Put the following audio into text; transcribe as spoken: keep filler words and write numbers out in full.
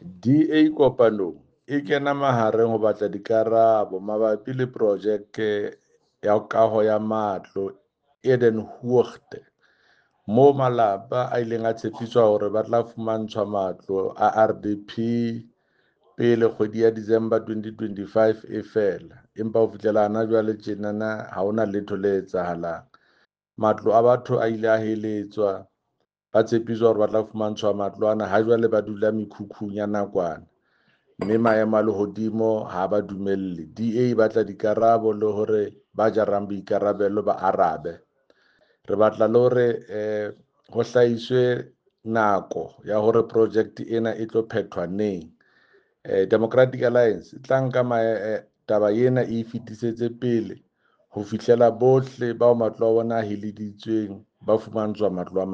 D A Kopanong e kena mahareng ho batla dikarabo mabapi le projeke ya kaho ya matlo Edenhoogte, moo malapa a ileng a tshepiswa hore ba tla fumantshwa matlo a R D P pele kgwedi ya December twenty twenty-five e fela, empa ho fihlela hana jwale tjenana ha hona letho le etsahalang. Matlo a batho a ile a heletswa, ba tshepiswa hore ba tla fumantshwa matlo ana, ha jwale ba dula mekhukhung ya nakwana, mme maemo a lehodimo ha ba dumelle. D A e batla dikarabo le hore ba jarang boikarabelo ba arabe. Re batla le hore eh ho hlahiswe nako ya hore project ena e tlo phethwa neng. eh, Democratic Alliance e tla nka eh, taba ena e fetisetse pele ho fihlela bohle bao matlo a bona a heleditsweng ba fumantshwa matlo a.